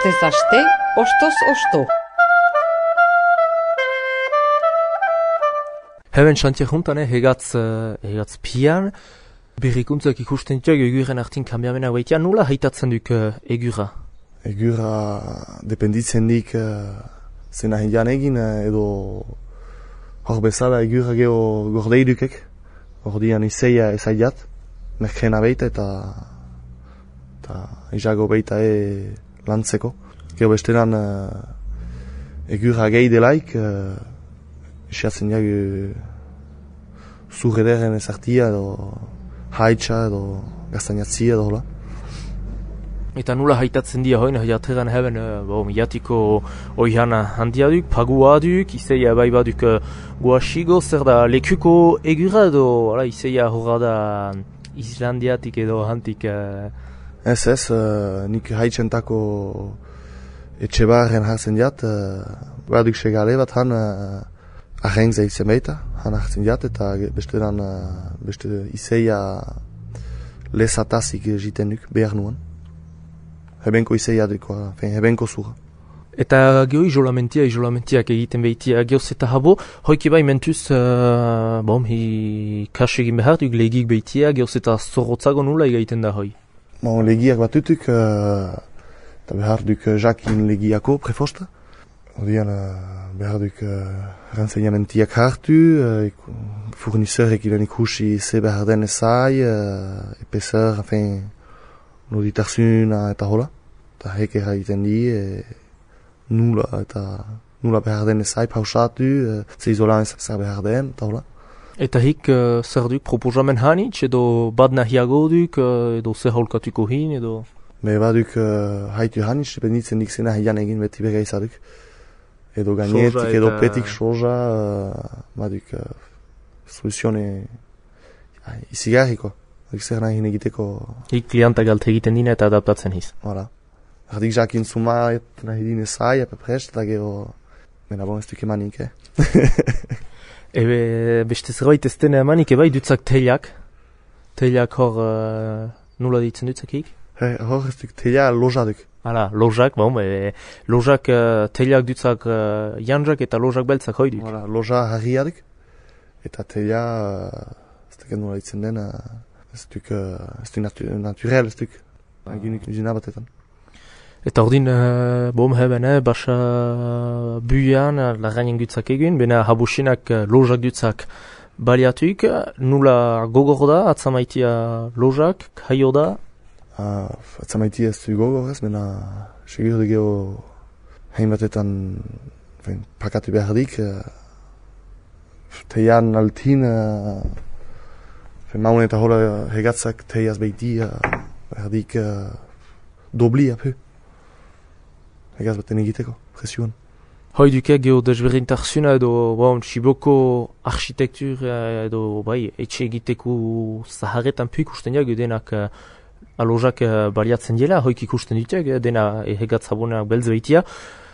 Astez aste, ostoz osto. Hemen xantiak juntan, hegatz pian, berrikuntzak ikusten dituak eguren artin kambiamena baitia, nula haitatzen duk egura? Egura dependitzen dik zena hindian egin edo hor bezala egura geho gordei dukek. Gordian izeia ezaiat, merkena beita eta izago beita lantzeko. Gero besteran egura gehi delaik, isiatzen jagu zur ederen ezartia edo haitxa edo gaztainatzia edo hola. Eta nula haitatzen dira hoin, jateran heben miatiko oihana handia duk, pagua duk, izeia bai baduk guaxigo, zer da lekuko egura edo izeia horra da Islandiatik edo hantik? Ez, nik haitxentako etxe barren hartzen jat, baduk segale bat han aheng zeitzen baita, han hartzen jat, eta beste izeia lezatazik jiten duk, behar nuen. Hebenko izeia dukoa, hebenko zura. Eta geho izolamentiak egiten behitia, gehoz eta habo, hoiki bai mentuz, kas egin behar duk legik behitia, gehoz eta zorrotzago nula egiten da hoi? Legiak batutuk, eta behar duk jakin legiako prefosta. Odian behar duk rensegnamentiak hartu, fournisseur ilan ikusi ze behar den ezai, epeseur, noditarsuna eta hola. Eta heke egiten di, nula behar den ezai pausatu, ze izolan zer behar den eta hola. Eta hik zer duk proposamen hanitz edo bad nahiago duk edo zer holkatuko hin edo? Baduk haitu hanitz, dependitzen dik zena hian egin beti bega izaduk. Edo gainetik edo petik soja, baduk soluzione izigarriko. Zer nahi egiteko... Hik klientak galte egiten dina eta adaptatzen hiz. Hala. Ardik jakin zumaet nahi dine zai, apeprest, eta gero... Mena bon ez duk emanik, Beste zerbait ez dena emanik, bai dutzak teilak. Teilak hor nula ditzen dutzak hik? Hor ez duk teila loja duk. Hala, lojak, lojak teilak dutzak janjak eta lojak beltzak hoi duk. Hala, loja harria duk. Eta teila, ez duk nula ditzen dena, ez duk naturel, ez duk. Eginik nizina batetan. Eta ordin, heben, basa buian, lagainen dutzak egin, bena habusinak lojak dutzak baliatuik, nula gogor da, atzamaitia lojak, haio da? Atzamaitia ez du gogor ez, bena segur dugu hain batetan pakatu behar dik, teian altin, maun eta hola hegatzak teiaz behitia, behar dik dobli apu. Egaz baten egiteko, presioan. Hoi duke geho desberdintarsuna edo Siboko architektur edo etxe egiteko zaharretan pu ikusten jago denak alojak baliatzen dela, hoik ikusten dutek, dena egatz abonenak belz behitia.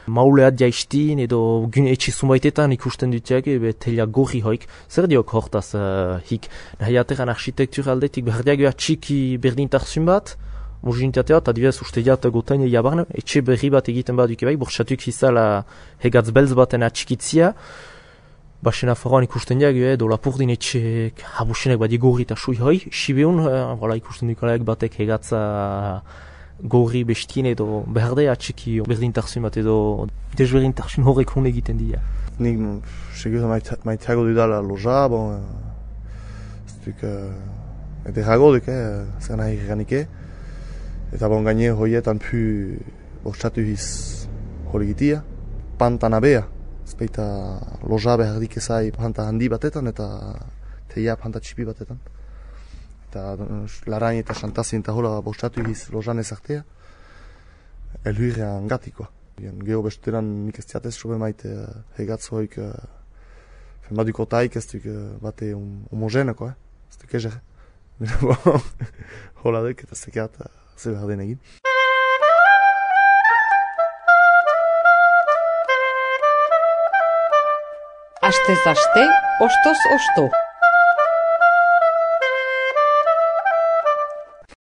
Mauleat jaistin edo gun etxe zumbaitetan ikusten dutek, telia gorri hoik. Zer diok hortaz hik? Nahi ateran architektur aldetik berdiagoa txiki berdintarsun bat, Mojinitatea eta dibez uste jat gotaine jabarne, etxe berri bat egiten bat duke bai, bortxatuk izala hegatz belz baten atxikitzia. Baxena faroan ikusten diag, edo lapurdin etxe habusinek bat gorri eta sui hoi. Sibeun, ikusten dukalaik batek hegatza gorri bestien edo berde atxiki berdintarzun bat edo desberdintarzun horrek hon egiten dira. Nik segur maiteago dudala loja, ez duk ederago duk, zer nahi ganike. Eta gaine hoietan pu bortxatu hiz horigitia. Pantan abea. Ez baita loja behar dik ezai panta handi batetan eta teia panta txipi batetan. Eta larain eta xantazin eta hola bortxatu hiz lojan ezartea. Elhuirean gatikoa. Geho besteran nik ez diatez sobe maite hegatzoik baduko taik ez duk bate homogeneko, ez duk ezer. Hola duk eta zekeat zer behar den egin. Astez aste, ostoz osto.